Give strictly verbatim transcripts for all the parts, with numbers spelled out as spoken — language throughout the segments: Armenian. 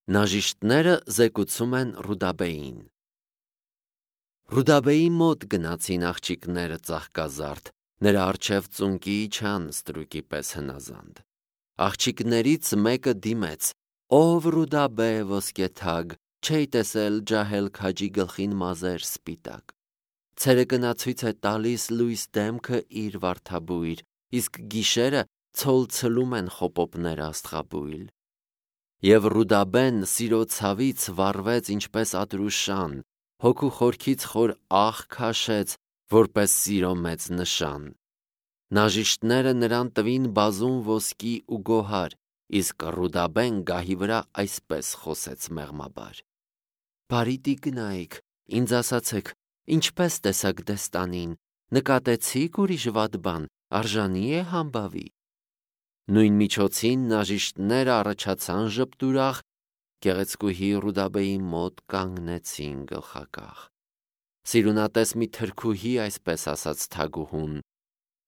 Նաժիշտները զեկուցում են Ռուդաբեին։ Ռուդաբեի մոտ գնացին աղջիկները ծաղկազարդ, նրա առջև ծունկի իջան ստրուկի պես հնազանդ։ Աղջիկներից մեկը դիմեց. «Ով Ռուդաբե ոսկեթագ, չէի տեսել ջահել քաջի գլխին մազեր սպիտակ»։ Ցերեկը ցույց է տալիս լույս դեմքը իր վարդաբույր, իսկ գիշերը ցոլ ցլում են խոպոպները աստղաբույլ։ Եվ Ռուդաբեն սիրո ցավից վառվեց ինչպես ատրուշան, հոգու խորքից խոր աղ քաշեց, որպես սիրո մեծ նշան։ Նաժիշտները նրան տվին բազում ոսկի ու գոհար, իսկ Ռուդաբեն գահի վրա այսպես խոսեց մեղմաբար. «Բարի տիկնայք, ինձ ասացեք, ինչպես տեսաք դեստանին, նկատեցի՞ք ուրիշ վատ բան, արժանի՞ է համբավի»։ Նույն միջոցին նաժիշտները առաջացան ժպտուրախ, գեղեցկուհի Ռուդաբեի մոտ կանգնեցին գլխակախ։ Սիրունատես մի թրքուհի այսպես ասաց թագուհուն.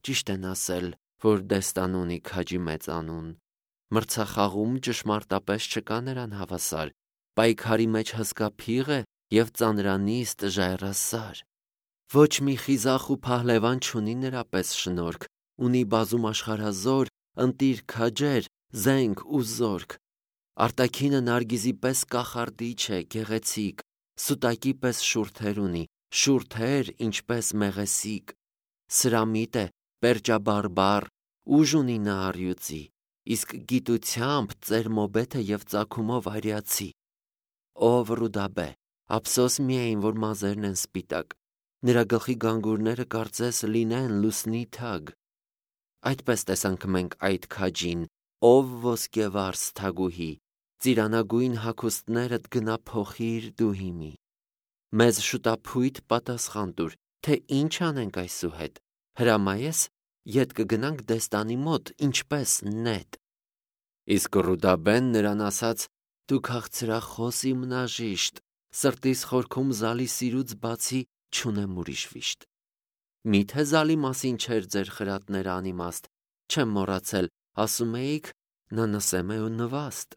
«Ճիշտ են ասել, որ դեստան ունի քաջի մեծանուն։ Մրցախաղում ճշմարտապես չկա նրան հավասար, պայքարի մեջ հսկա փիղ է և ծանրանիստ ժայռասար։ Ոչ մի խիզախ ու փահլևան չունի նրա պես շնորհք, ունի բազում աշխարհազոր, ընտիր քաջեր, զենք ու զորք։ Արտաքինը նարգիզի պես կախարդիչ է, գեղեցիկ, սուտակի պես շուրթեր ունի, շուրթեր ինչպես մեղեսիկ։ Սրամիտ է, պերջաբարբառ, ուժ ունի նա առյուծի, իսկ գիտությամբ ծերմոբեթ է և ծագումով արիացի։ Ով Ռուդաբե, ափսոս միայն, որ մազերն են սպիտակ, նրա գլխի գանգուրները կարծես լինեն լուսնի թագ։ Այդպես տեսանք մենք այդ քաջին, ով ոսկեվարս թագուհի, ծիրանագույն հագուստներդ գնա փոխիր դու հիմի։ Մեզ շուտափույթ պատասխան տուր, թե ինչ անենք այսուհետ, հրամայես, ետ կգնանք դեստանի մոտ, ինչպես նետ։ Իսկ Ռուդաբեն նրան ասաց. «Դու քաղցրախոս իմ նաժիշտ, սրտիս խորքում զալի սիրուց բացի չունեմ ուրիշ վիշտ։ Մի՞թե զալի մասին չէր ձեր խրատները անիմաստ, չեմ մոռացել, ասում էիք, նա նսեմ է ու նվաստ։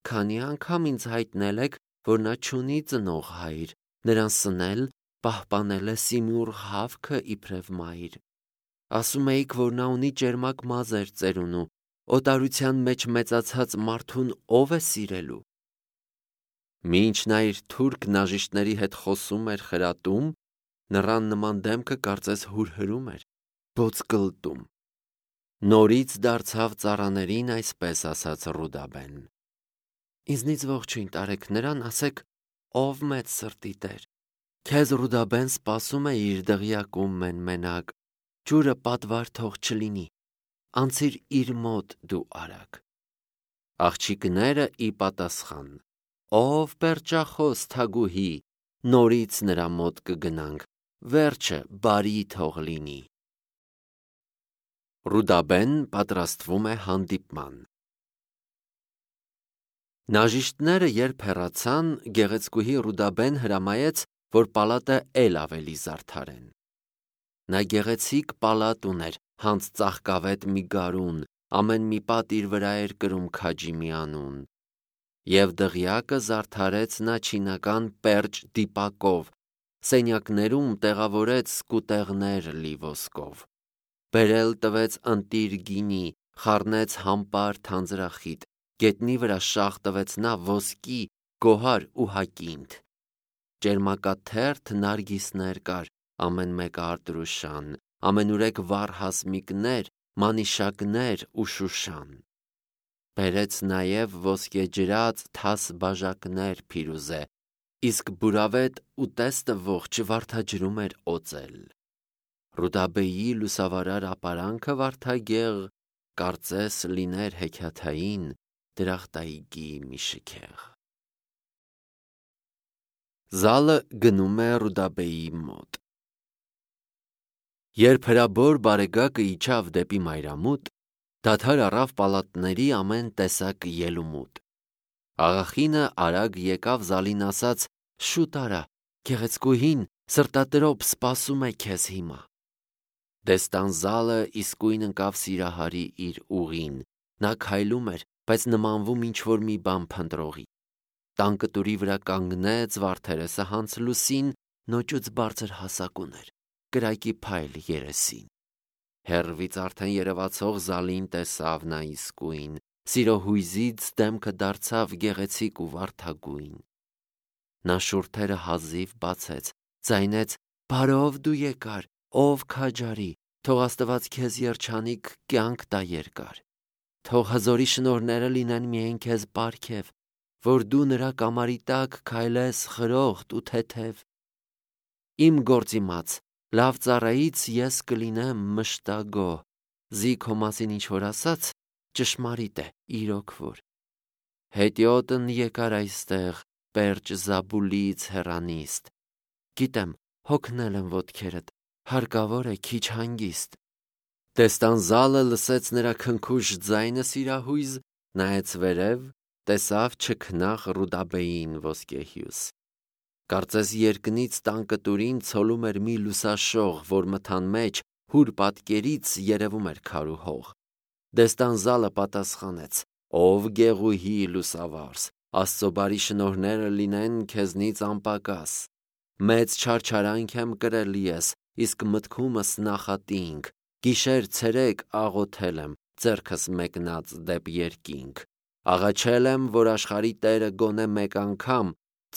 Քանի անգամ ինձ հայտնել եք, որ նա չունի ծնող հայր, նրան սնել, պահպանել է Սիմուռ հավքը իբրև մայր։ Ասում էիք, որ նա ունի ճերմակ մազեր ծերունու, օտարության մեջ մեծացած մարդուն ով է սիրելու»։ Մինչ նա իր թուրք նաժիշտների հետ խոսում էր խրատում, նռան նման դեմքը կարծես հուրհրում էր, բոծկլտում։ Նորից դարձավ ծառաներին այսպես ասաց Ռուդաբեն. «Ինձնից ողջույն տարեք նրան, ասեք, ով մեծ սրտի տեր։ Քեզ Ռուդաբեն սպասում է իր դղյակում մեն-մենակ, ջուրը պատվար թող չլինի, անցիր իր մոտ դու արագ»։ Աղջիկները ի պատասխան. «Ով պերճախոս թագուհի, նորից նրա մոտ կգնանք, վերջը բարի թող լինի»։ Ռուդաբեն պատրաստվում է հանդիպման։ Նաժիշտները երբ հեռացան, գեղեցկուհի Ռուդաբեն հրամայեց, որ պալատը էլ ավելի զարդարեն։ Նա գեղեցիկ պալատ ուներ, հանց ծաղկավետ մի գարուն, ամեն մի պատ իր վրա էր կրում քաջի մի անուն։ Եվ դղյակը զարդարեց նա չինական պերճ դիպակով, սենյակներում տեղավորեց սկուտեղներ լի ոսկով։ Բերել տվեց ընտիր գինի, խառնեց համպար թանձրախիտ, գետնի վրա շաղ տվեց նա ոսկի, գոհար ու հակինդ։ Ճերմակաթերթ նարգիսներ կար, ամեն մեկը արտրուշան, ամենուրեք վառ հասմիկներ, մանիշակներ ու շուշան։ Բերեց նաև ոսկեջրած թաս բաժակներ փիրուզե, իսկ բուրավետ ուտեստը ողջ վարդաջրում էր օծել։ Ռուդաբեի լուսավարար ապարանքը վարդագեղ, կարծես լիներ հեքիաթային դրախտայգի մի շքեղ։ Զալը գնում է Ռուդաբեի մոտ։ Երբ հրաբոր բարեգակը իջավ դեպի մայրամուտ, դադար առավ պալատների ամեն տեսակ ելումուտ։ Աղախինը արագ եկավ զալին ասաց. «Շուտ արա, գեղեցկուհին սրտատրոփ սպասում է քեզ հիմա»։ Դեստան զալը իսկույն ընկավ Սիրահարի իր ուղին, նա քայլում էր, բայց նմանվում ինչ-որ մի բան փնտրողի։ Տան կտուրի վրա կանգնեց վարդերեսը հանց լուսին, նոճուց բարձր հասակ ուներ, կրակի փայլ երեսին։ Հեռվից արդեն երևացող Զալին տեսավ նա իսկույն, սիրո հույզից դեմքը դարձավ գեղեցիկ ու վարդագույն։ Նա շուրթերը հազիվ բացեց, ձայնեց. «Բարով դու եկար, ով քաջարի, թող Աստված քեզ երջանիկ կյանք տա երկար, թող հզորի շնորհները լինեն միայն քեզ պարգև, որ դու նրա կամարի տակ քայլես խրոխտ ու թեթև։ Իմ գործիմաց, լավ ծառայից ես կլինեմ մշտագոհ, զի քո մասին ինչ որ ասաց, ճշմարիտ է, իրոք որ։ Հետիոտն եկար այստեղ, պերճ Զաբուլից հեռանիստ, գիտեմ, հոգնել եմ ոտքերդ, հարկավոր է քիչ հանգիստ»։ Տեստան Զալը լսեց նրա քնքուշ ձայնը սիրահույզ, նայեց վերև, տեսավ չքնաղ Ռուդաբեին ոսկեհյուս։ Կարծես երկնից տան կտուրին ցոլում էր մի լուսաշող, որ մթան մեջ հուր պատկերից երևում էր քար ու հող։ Դեստան Զալը պատասխանեց. «Ով գեղուհի լուսավարս, Աստծո բարի շնորհները լինեն քեզնից անպակաս։ Մեծ չարչարանք եմ կրել ես, իսկ մտքումս նախատինք, գիշեր ցերեկ աղոթել եմ, ձեռքս մեկնած դեպ երկինք։ Աղաչել եմ, որ աշխարհի Տերը գոնե մեկ անգամ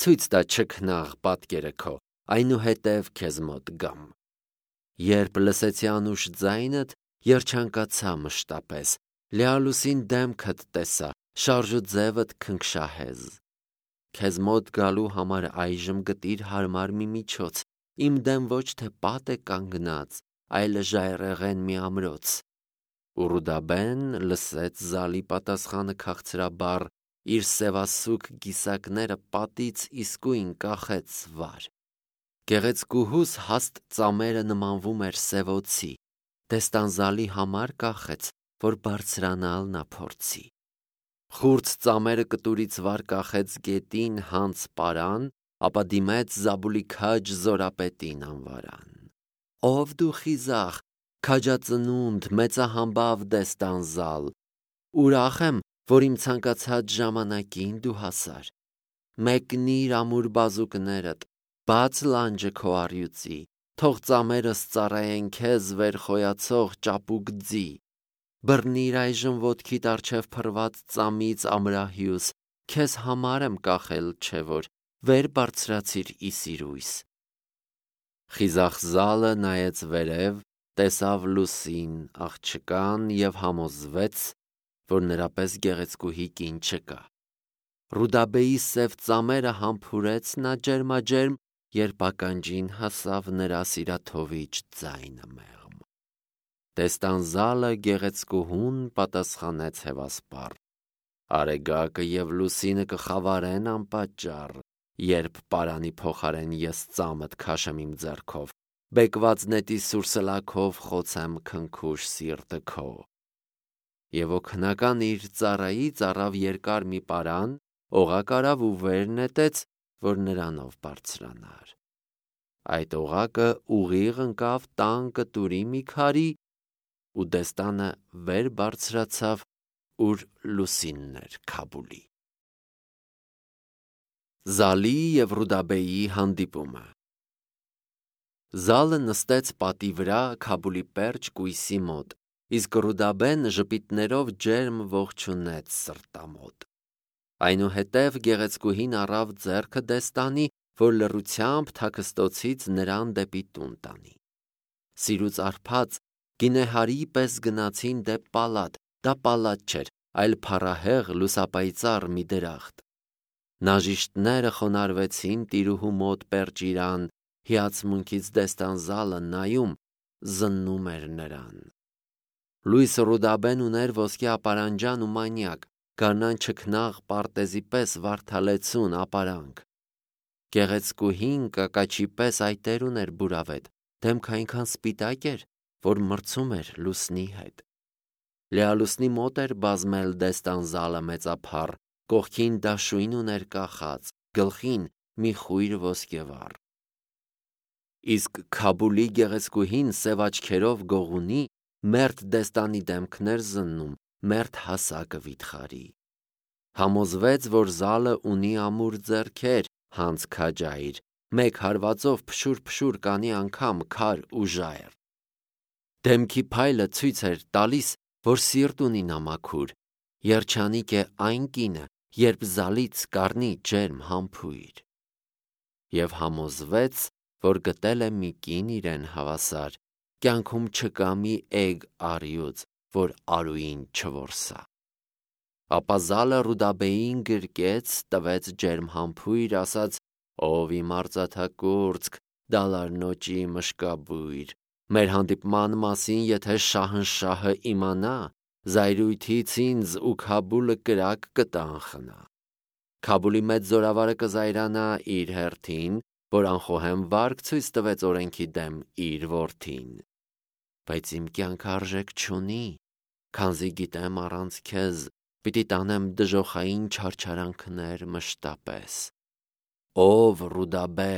ցույց տա չքնաղ պատկերը քո, այնուհետև քեզ մոտ գամ»։ Երբ լսեցի անուշ ձայնդ, երջանկացա մշտապես, լիալուսին դեմքդ տեսա, շարժ ու ձևդ քնքշահեզ։ Քեզ մոտ գալու համար այժմ գտիր հարմար մի միջոց, իմ դեմ ոչ թե պատ է կանգնած, այլ ժայռեղեն մի ամրոց։ Ու Ռուդաբեն լսեց Զալի պատասխանը քաղցրաբար, իր սևասուք գիսակները պատից իսկույն կախեց վար։ Գեղեցկուհուս հաստ ծամերը նմանվում էր սևոցի, Տեստան Զալի համար կախեց, որ բարձրանալ նա փորձի։ Խուրձ ծամերը կտուրից վար կախեց գետին հանց պարան, ապա դիմեց Զաբուլի քաջ զորապետին անվարան. «Ով դու խիզախ, քաջածնունդ, մեծահամբավ Դեստան Զալ, ուրախ եմ, որ իմ ցանկացած ժամանակին դու հասար։ Մեկնիր ամուր բազուկներդ, բաց լանջը քո առյուծի, թող ծամերս ծառայեն քեզ վերխոյացող ճապուկ ձի։ Բռնիր այժմ ոտքիդ առջև փռված ծամից ամրահյուս, քեզ համար եմ կախել, չէ որ, վեր բարձրացիր ի սիրույս»։ Խիզախ Զալը նայեց վերև, տեսավ լուսին, աղջկան և համոզվեց, որ նրա պես գեղեցկուհի կին չկա։ Ռուդաբեի սև ծամերը համբուրեց նա ջերմաջերմ, երբ ականջին հասավ նրա սիրաթովիչ ձայնը մեղմ։ Տեստան Զալը գեղեցկուհուն պատասխանեց հևասպառ. «Արեգակը և լուսինը կխավարեն անպատճառ, երբ պարանի փոխարեն ես ծամդ քաշեմ իմ ձեռքով, բեկված նետի սուրսլաքով խոցեմ քնքուշ սիրտը քո»։ Եվ օգնական իր ծառայից առավ երկար մի պարան, օղակ արավ ու վեր նետեց, որ նրանով բարձրանար։ Այդ օղակը ուղիղ ընկավ տան կտուրի մի քարի, ու Դեստանը վեր բարձրացավ, ուր լուսինն էր Քաբուլի։ Զալի և Ռուդաբեի հանդիպումը։ Զալը նստեց պատի վրա Քաբուլի պերճ կույսի մոտ, իսկ Ռուդաբեն ժպիտներով ջերմ ողջունեց սրտամոտ։ Այնուհետև գեղեցկուհին առավ ձեռքը Դեստանի, որ լռությամբ թաքստոցից նրան դեպի տուն տանի։ Սիրուց արբած գինեհարի պես գնացին դեպ պալատ, դա պալատ չէր, այլ փառահեղ լուսապայծառ մի դրախտ։ Նաժիշտները խոնարհվեցին տիրուհու մոտ պերճ իրան, հիացմունքից Դեստան Զալը նայում, զննում էր նրան։ Լույս Ռուդաբեն ուներ ոսկե ապարանջան ու մանյակ, գարնան չքնաղ պարտեզի պես վարդալեցուն ապարանք։ Գեղեցկուհին կակաչի պես այտեր ուներ բուրավետ, դեմքը այնքան սպիտակ էր, որ մրցում էր լուսնի հետ։ Լիալուսնի մոտ էր բազմել Դեստան Զալը մեծափառ, կողքին դաշույն ուներ կախած, գլխին մի խույր ոսկեվառ։ Իսկ Քաբուլի գեղեցկուհին սև աչքերով գողունի, մերթ Դեստանի դեմքն էր զննում, մերթ հասակը վիթխարի։ Համոզվեց, որ զալը ունի ամուր ձեռքեր, հանց քաջայր, մեկ հարվածով փշուր-փշուր կանի անգամ քար ու ժայռ։ Դեմքի փայլը ցույց էր տալիս, որ սիրտ ունի նամաքուր, երջանիկ է այն կինը, երբ զալից կառնի ջերմ համբույր։ Եվ համոզվեց, որ գտել է մի կին իրեն հավասար, կյանքում չկա մի էգ առյուծ, որ արուին չորսա։ Ապա զալը Ռուդաբեին գրկեց, տվեց ջերմ համբույր, ասաց. «Ով իմ արծաթակուրծք, դալարնոճի մշկաբույր, մեր հանդիպման մասին եթե շահնշահը իմանա, զայրույթից ինձ ու Քաբուլը կրակ կտանխնա։ Քաբուլի մեծ զորավարը կզայրանա իր հերթին, որ անխոհեմ վարկ ցույց տվեց օրենքի դեմ իր որդին։ Բայց իմ կյանքը արժեք չունի, քանզի գիտեմ առանց քեզ պիտի տանեմ դժոխային չարչարանքներ մշտապես։ Ով Ռուդաբե,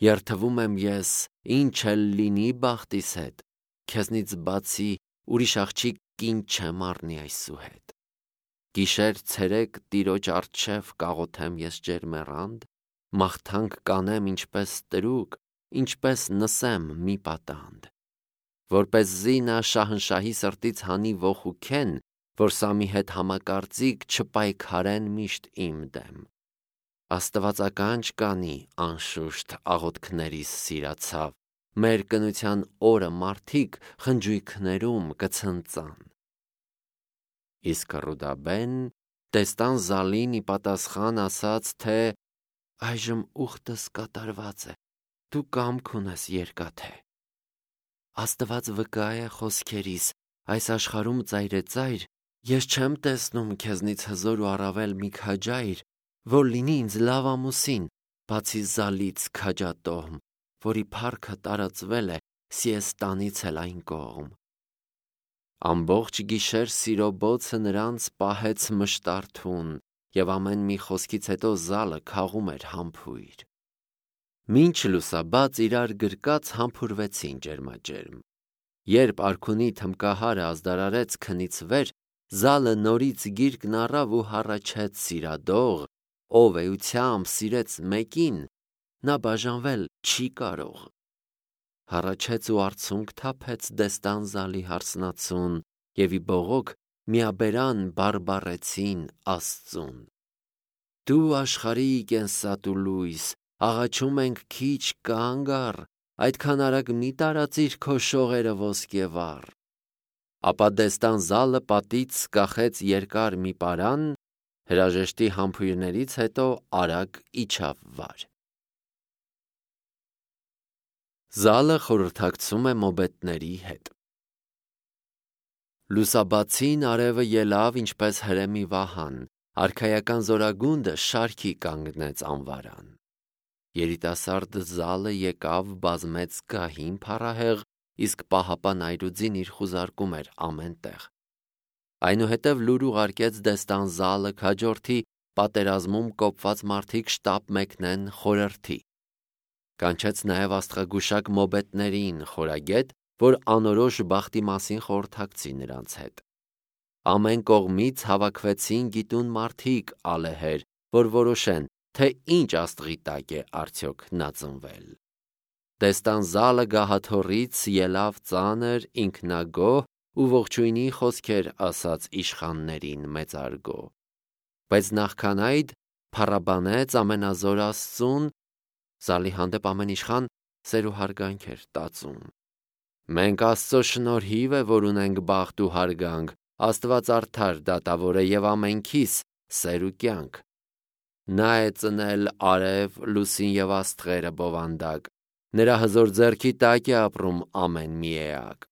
երթվում եմ ես, ինչ էլ լինի բախտիս հետ, քեզնից բացի ուրիշ աղջիկ կին չեմ առնի այսուհետ։ Գիշեր ցերեկ տիրոջ առջև կաղոթեմ ես ջերմեռանդ, մաղթանք կանեմ ինչպես տրուկ, ինչպես նսեմ մի պատանդ, որպեսզի նա շահնշահի սրտից հանի ոխուքեն, որ Սամի հետ համակարծիք չպայքարեն միշտ իմ դեմ։ Աստվածականչ կանի, անշուշտ աղոթքներիս սիրացավ, մեր կնության օրը մարդիկ խնջույքներում կցնծան։ Իսկ Ռուդաբեն տեստան զալին ի պատասխան ասաց, թե այժմ ուխտս կատարված է, դու կամք ունես երկաթե։ Աստված վկա է խոսքերիս, այս աշխարհում ծայրեծայր, ես չեմ տեսնում քեզնից հզոր ու առավել մի քաջայր, որ լինի ինձ լավ ամուսին, բացի զալից քաջատոհմ, որի փառքը տարածվել է Սիեստանից էլ այն կողմ։ Ամբողջ գիշեր սիրո բոցը նրանց պահեց մշտարթուն, և ամեն մի խոսքից հետո զալը քաղում էր համբույր։ Մինչ լուսաբաց իրար գրկած համբուրվեցին ջերմաջերմ։ Երբ արքունի թմկահարը ազդարարեց քնից վեր, զալը նորից գիրկն առավ ու հառաչեց սիրադող, ով էությամբ սիրեց մեկին, նա բաժանվել չի կարող։ Հառաչեց ու արցունք թափեց դեստան զալի հարսնացուն, և ի բողոք միաբերան բարբառեցին Աստծուն. Դու աշխարհի կենսատու լույս, աղաչում ենք քիչ կանգ առ, այդքան արագ մի տարածիր քո շողերը ոսկեվառ։ Ապա դեստան զալը պատից կախեց երկար մի պարան, հրաժեշտի համբույրներից հետո արագ իջավ վար։ Զալը խորհրդակցում է մոբետների հետ։ Լուսաբացին արևը ելավ ինչպես հրեմի վահան, արքայական զորագունդը շարքի կանգնեց անվարան։ Երիտասարդ զալը եկավ բազմեց գահին փառահեղ, իսկ պահապան այրուձին իր խուզարկում էր ամեն տեղ։ Այնուհետև լուր ուղարկեց դեստան զալը քաջորդի պատերազմում կոպված մարդիկ շտապ մեկնեն խորհրդի։ Կանչեց նաև աստղագուշակ մոբետներին խորագետ, որ անորոշ բախտի մասին խորհրդակցի նրանց հետ։ Ամեն կողմից հավաքվեցին գիտուն մարդիկ ալեհեր, որ որոշեն, թե ինչ աստղի տակ է արդյոք նա ծնվել։ Դեստան զալը գահաթոռից ելավ ծանր, ինքնագոհ ու ողջույնի խոսքեր ասաց իշխաններին մեծարգո։ Բայց նախքան այդ փառաբանեց ամենազոր Աստծուն, զալի հանդեպ ամեն իշխան սեր ու հարգանք էր տածում։ Մենք Աստծո շնորհիվ է, որ ունենք բախտ ու հարգանք, Աստված արդար դատավոր է և ամենքիս սեր ու կյանք։ Նա է ծնել արև, լուսին և աստղերը բովանդակ, նրա հզոր ձեռքի տակ է ապրում ամեն մի էակ։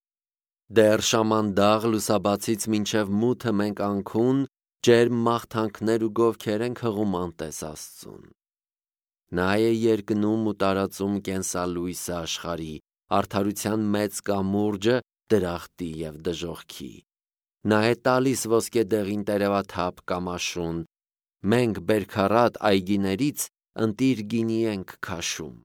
Դեռ շամանդաղ լուսաբացից մինչև մութը մենք անքուն, ջերմ մաղթանքներ ու գովքեր ենք հղում անտես Աստծուն։ Նա է երկնում ու տարածում կենսալույսը աշխարհի, արդարության մեծ կամուրջը դրախտի և դժոխքի։ Նա է տալիս ոսկե դեղին տերևաթափ կամ աշուն, մենք բերքառատ այգիներից ընտիր գինի ենք քաշում։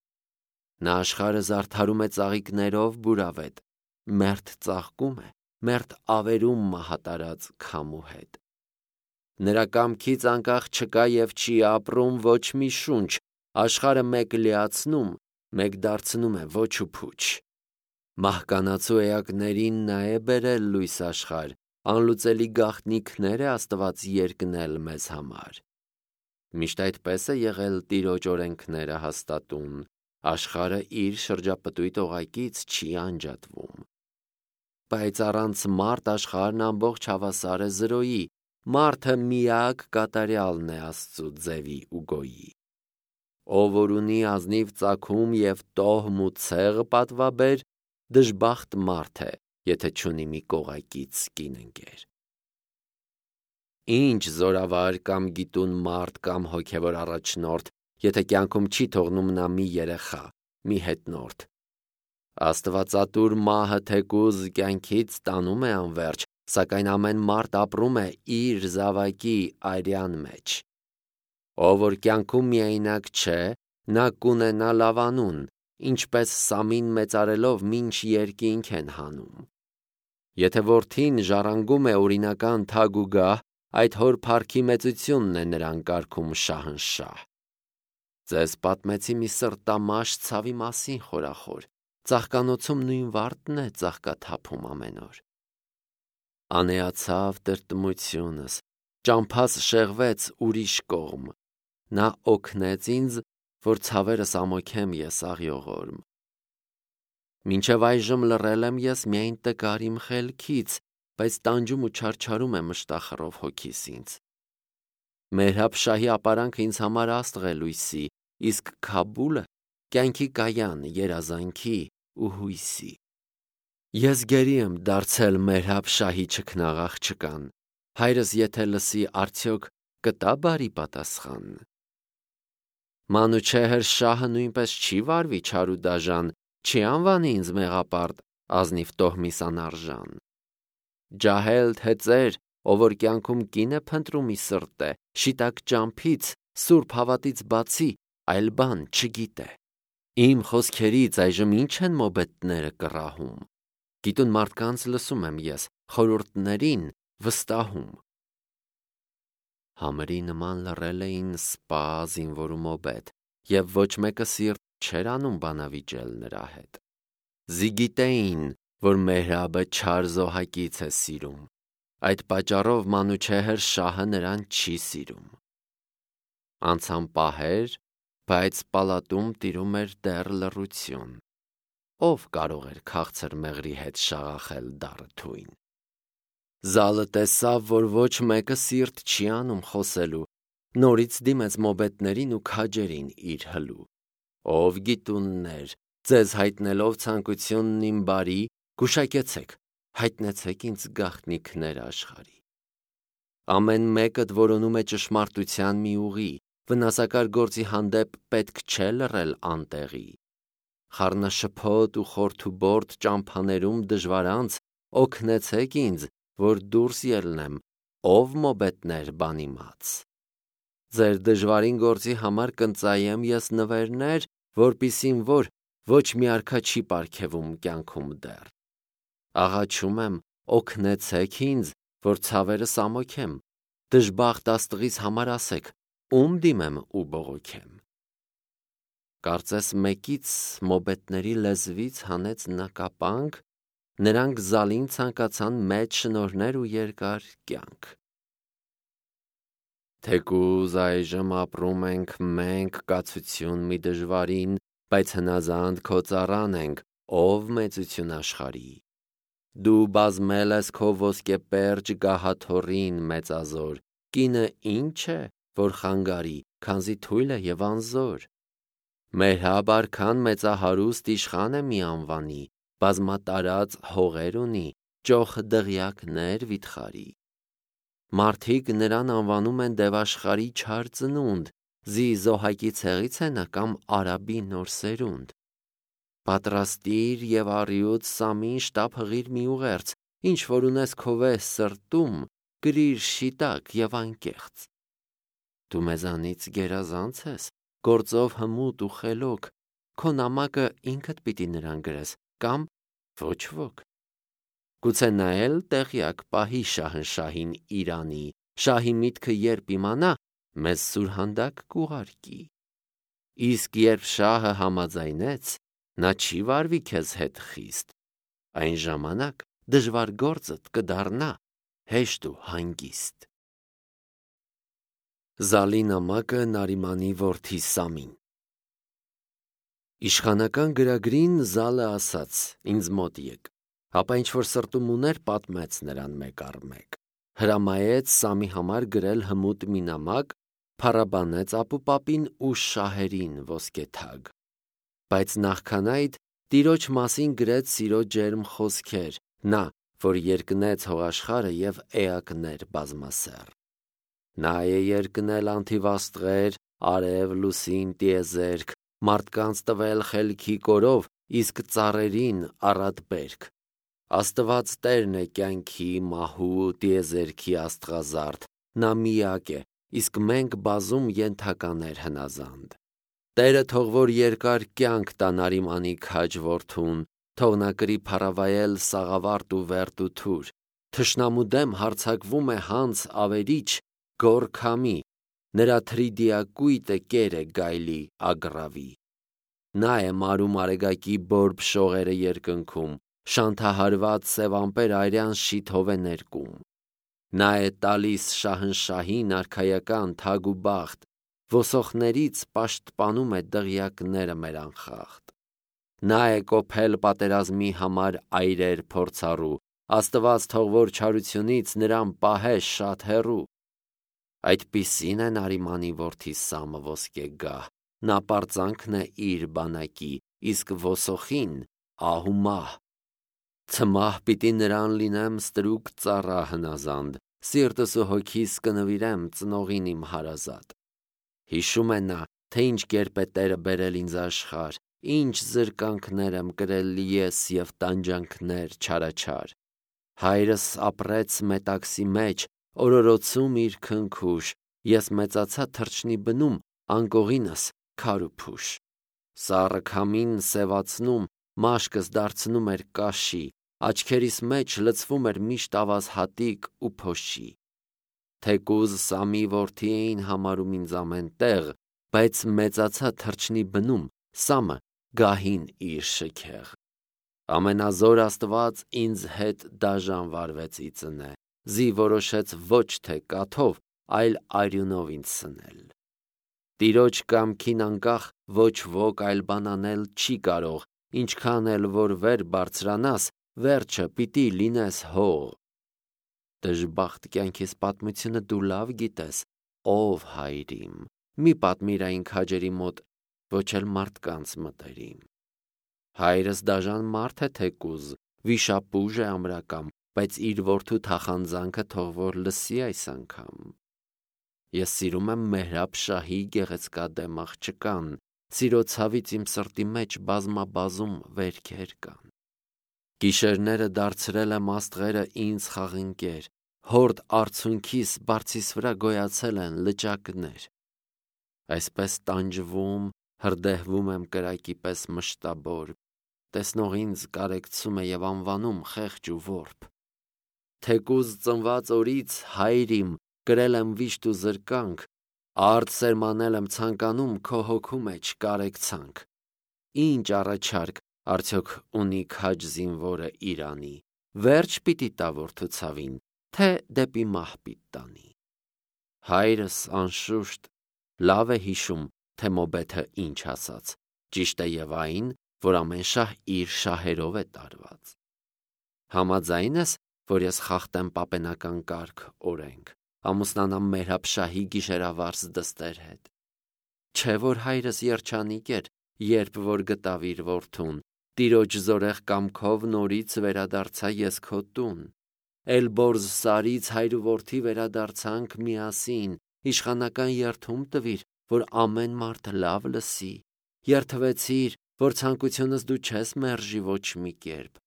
Նա աշխարհը զարդարում է ծաղիկներով բուրավետ, մերթ ծաղկում է, մերթ ավերում մահատարած քամու հետ։ Նրա կամքից անկախ չկա և չի ապրում ոչ մի շունչ, աշխարհը մեկ լիացնում, մեկ դարձնում է ոչ ու փուչ։ Մահկանացու էակներին նա է բերել լույս աշխարհ, անլուծելի գաղտնիքներ է Աստված երկնել մեզ համար։ Միշտ այդպես է եղել Տիրոջ օրենքները հաստատուն, աշխարհը իր շրջապտույտ օղակից չի անջատվում։ Բայց առանց մարդ աշխարհն ամբողջ հավասար է զրոյի, մարդը միակ կատարյալն է Աստծու ձևի ու գոյի։ Ով որ ունի ազնիվ ծագում և տոհմ ու ցեղ պատվաբեր, դժբախտ մարդ է, եթե չունի մի կողակից կին ընկեր։ Ինչ զորավար կամ գիտուն մարդ կամ հոգևոր առաջնորդ, եթե կյանքում չի թողնում նա մի երեխա, մի հետնորդ։ Աստվածատուր մահը թեկուզ կյանքից տանում է անվերջ, սակայն ամեն մարդ ապրում է իր զավակի արյան մեջ։ Ով որ կյանքում միայնակ չէ, նա կունենա լավանուն, ինչպես սամին մեծարելով մինչ երկինք են հանում։ Եթե որդին ժառանգում է օրինական թագ ու գահ, այդ հոր փառքի մեծությունն է նրան կարգում շահնշահ։ Ձեզ պատմեցի մի սրտամաշ ցավի մասին խորախոր, ծաղկանոցում նույն վարդն է ծաղկաթափում ամեն օր։ Անեացավ տրտմությունս, ճամփաս շեղվեց ուրիշ կողմ, նա օգնեց ինձ, որ ցավերս ամոքեմ ես աղյողորմ։ Մինչև այժմ լռել եմ ես միայն տկար իմ խելքից, բայց տանջում ու չարչարում է մշտախռով հոգիս ինձ։ Մերհաբ շահի ապարանքը ինձ համար աստղ է լույսի, իսկ Քաբուլը կյանքի կայան, երազանքի ու հույսի։ Ես գերի եմ դարձել Մերհաբ շահի չքնաղ աղջկան, հայրս եթե լսի, արդյոք կտա բարի պատասխան։ Մանուչեհր շահը նույնպես չի վարվի չար ու դաժան, չի անվանի ինձ մեղապարտ, ազնիվ տոհմիս անարժան։ Ջահել թե ծեր, ով որ կյանքում կին է փնտրում ի սրտե, շիտակ ճամփից, սուրբ հավատից բացի այլ բան չգիտե։ Իմ խոսքերից այժմ ինչ են մոբետները կռահում։ Գիտուն մարդկանց լսում եմ ես, խորհուրդներին վստահում։ Համրի նման լռել էին սպա զինվոր ու մոբետ, և ոչ մեկը սիրտ չէր անում բանավիճել նրա հետ։ Զիգիտեին, որ Մերհաբը չար զոհակից է սիրում, այդ պատճառով Մանուչեհր շահը նրան չի սիրում։ Անցան պահեր, բայց պալատում տիրում էր դեռ լռություն։ Ով կարող էր քաղցր մեղրի հետ շաղախել դառը թույն։ Զալը տեսավ, որ ոչ մեկը սիրտ չի անում խոսելու, նորից դիմեց մոբետներին ու քաջերին իր հլու։ Ով գիտուններ, ձեզ հայտնելով ցանկությունն իմ բարի, գուշակեցեք, հայտնեցեք ինձ գաղտնիքներ աշխարհի։ Ամեն մեկդ որոնում է ճշմարտության մի ուղի, վնասակար գործի հանդեպ պետք չէ լռել անտեղի։ Խառնաշփոթ ու խորթուբորդ ճամփաներում դժվարանց օգնեցեք ինձ, որ դուրս ելնեմ, ով մոբետներ բանիմաց։ Ձեր դժվարին գործի համար կընծայեմ ես նվերներ, որպիսին որ ոչ մի արքա չի պարգևում կյանքում դեռ։ Աղաչում եմ, օգնեցեք ինձ, որ ցավերս ամոքեմ, դժբախտ աստղից համար ասեք, ում դիմեմ ու բողոքեմ։ Կարծես մեկից մոբետների լեզվից հանեց նա կապանք, նրանք զալին ցանկացան մեծ շնորհներ ու երկար կյանք։ Թեկուզ այժմ ապրում ենք մենք կացություն մի դժվարին, բայց հնազանդ քո ծառան ենք, ով մեծություն աշխարհի։ Դու բազմել ես քո ոսկեպերճ գահաթոռին մեծազոր, կինը ինչ է, որ խանգարի, քանզի թույլ է և անզոր։ Մերհաբ արքան մեծահարուստ իշխան է մի անվանի, բազմատարած հողեր ունի, ճոխ դղյակներ վիթխարի։ Մարդիկ նրան անվանում են դևաշխարհի չար ծնունդ, զի զոհակի ցեղից է նա կամ արաբի նոր սերունդ։ Պատրաստիր և առյուծ սամին շտապ հղիր մի ուղերձ, ինչ որ ունես քո վեհ սրտում, կրիր շիտակ և անկեղծ։ Դու մեզանից գերազանց ես, գործով հմուտ ու խելոք, քո նամակը ինքդ պիտի նրան գրես, կամ ոչ ոք։ Գուցե նա էլ տեղյակ պահի շահնշահին Իրանի, շահի միտքը երբ իմանա, մեզ սուրհանդակ կուղարկի։ Իսկ երբ շահը համաձայնեց, նա չի վարվի քեզ հետ խիստ, այն ժամանակ դժվար գործդ կդառնա հեշտ ու հանգիստ։ Զալի նամակը Նարիմանի որդի Սամին։ Իշխանական գրագրին Զալը ասաց. ինձ մոտ եկ, հապա ինչ-որ սրտում ուներ, պատմեց նրան մեկ առ մեկ, հրամայեց Սամի համար գրել հմուտ մի նամակ, փառաբանեց ապուպապին ու շահերին ոսկեթագ, բայց նախքան այդ տիրոջ մասին գրեց սիրո ջերմ խոսքեր, նա, որ երկնեց հողաշխարը և էակներ բազմասեռ։ Նա է երկնել անթիվաստղեր, արև, լուսին, տիեզերք, մարդկանց տվել խելքի կորով, իսկ ծառերին առատ բերք։ Աստված Տերն է կյանքի, մահու, տիեզերքի աստղազարդ, նա միակ է, իսկ մենք բազում ենթականեր հնազանդ։ Տերը թող որ երկար կյանք տա Նարիմանի քաջ որդուն, թող նա կրի փառավայել սաղավարտ ու վերտ ու թուր, թշնամու դեմ հարձակվում է հանց ավերիչ, գոռ քամի, նրա թրիդիակույտը կեր է գայլի ագռավի։ Նա է մարում արեգակի բորբ շողերը երկնքում, շանթահարված սև ամպեր արյան շիթով է ներկում։ Նա է տալիս շահնշահին արքայական թագ ու բախտ, ոսոխներից պաշտպանում է դղյակները մեր անխախտ։ Նա է կոփել պատերազմի համար այրեր փորձառու, Աստված թող որ չարությունից նրան պահե շատ հեռու։ Այդպիսին է Նարիմանի որդի Սամը ոսկեգահ, նա պարծանքն է իր բանակի, իսկ ոսոխին ահ ու մահ։ Ցմահ պիտի նրան լինեմ ստրուկ ծառա հնազանդ, սիրտս ու հոգիս կնվիրեմ ծնողին իմ հարազատ։ Հիշում է նա, թե ինչ կերպ է Տերը բերել ինձ աշխարհ, ինչ զրկանքներ եմ կրել ես և տանջանքներ չարաչար։ Հայրս ապրեց մետաքսի մեջ, օրորոցում իր քնքուշ, ես մեծացա թռչնի բնում, անկողինս քար ու փուշ։ Սառը քամին սևացնում, մաշկս դարձնում էր կաշի, աչքերիս մեջ լցվում էր միշտ ավազ հատիկ ու փոշի։ Թեկուզ Սամի որդի էին համարում ինձ ամեն տեղ, բայց մեծացա թռչնի բնում, Սամը գահին իր շքեղ։ Ամենազոր Աստված ինձ հետ դաժան վարվեց ի ծնե, զի որոշեց ոչ թե կաթով, այլ արյունով ինձ սնել։ Տիրոջ կամքին անկախ ոչ ոք այլ բան անել չի կարող, ինչքան էլ որ վեր բարձրանաս, վերջը պիտի լինես հող։ Դժբախտ կյանքիս պատմությունը դու լավ գիտես, ով հայր իմ, մի պատմիր այն քաջերի մոտ, ոչ էլ մարդկանց մտերիմ։ Հայրս դաժան մարդ է թեկուզ, վիշապուժ է ամրակամ, բայց իր որդու թախանձանքը թող որ լսի այս անգամ։ Ես սիրում եմ Մեհրաբ շահի գեղեցկադեմ աղջկան, սիրո ցավից իմ սրտի մեջ բազմաբազում վերքեր կան։ Գիշերները դարձրել եմ աստղերը ինձ խաղընկեր, հորդ արցունքիս բարձիս վրա գոյացել են լճակներ։ Այսպես տանջվում, հրդեհվում եմ կրակի պես մշտաբոր, տեսնող ինձ կարեկցում է և անվանում խեղճ ու որբ։ Թեկուզ ծնված օրից հայր իմ կրել եմ վիշտ ու զրկանք, արդ սերմանել եմ ցանկանում քո հոգու մեջ կարեկցանք։ Ինչ առաջարկ արդյոք ունի քաջ զինվորը իրանի, վերջ պիտի տա որդու ցավին, թե դեպի մահ պիտի տանի։ Հայրս անշուշտ լավ է հիշում, թե Մոբեթը ինչ ասաց, ճիշտ է և այն, որ ամեն շահ իր շահերով է տարված։ Համաձայն ես, որ ես խախտեմ պապենական կարգ օրենք, ամուսնանամ Մեհրաբ շահի գիշերավարս դստեր հետ։ Չէ որ հայրս երջանիկ էր, երբ որ գտավ իր որդուն, տիրոջ զորեղ կամքով նորից վերադարձա ես քո տուն։ Էլբորզ սարից հայր ու որդի վերադարձանք միասին, իշխանական երդում տվիր, որ ամեն մարդ լավ լսի, երդվեցիր, որ ցանկությունս դու չես մերժի ոչ մի կերպ,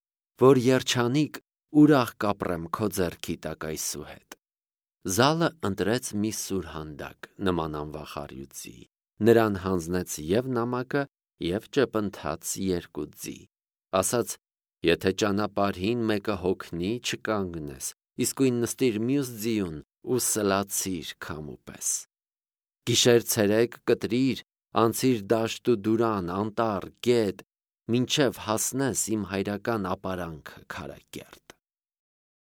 որ երջանիկ ուրախ կապրեմ քո ձեռքի տակ այսուհետ։ Զալը ընտրեց մի սուրհանդակ նման անվախարյուծի, նրան հանձնեց և նամակը, և ճեպընթաց երկու ձի, ասաց. եթե ճանապարհին մեկը հոգնի, չկանգնես, իսկույն նստիր մյուս ձիուն, ու սլացիր քամու պես։ Գիշեր ցերեկ կտրիր, անցիր դաշտ ու դուրան, անտառ, գետ, մինչև հասնես իմ հայրական ապարանքը քարակերտ։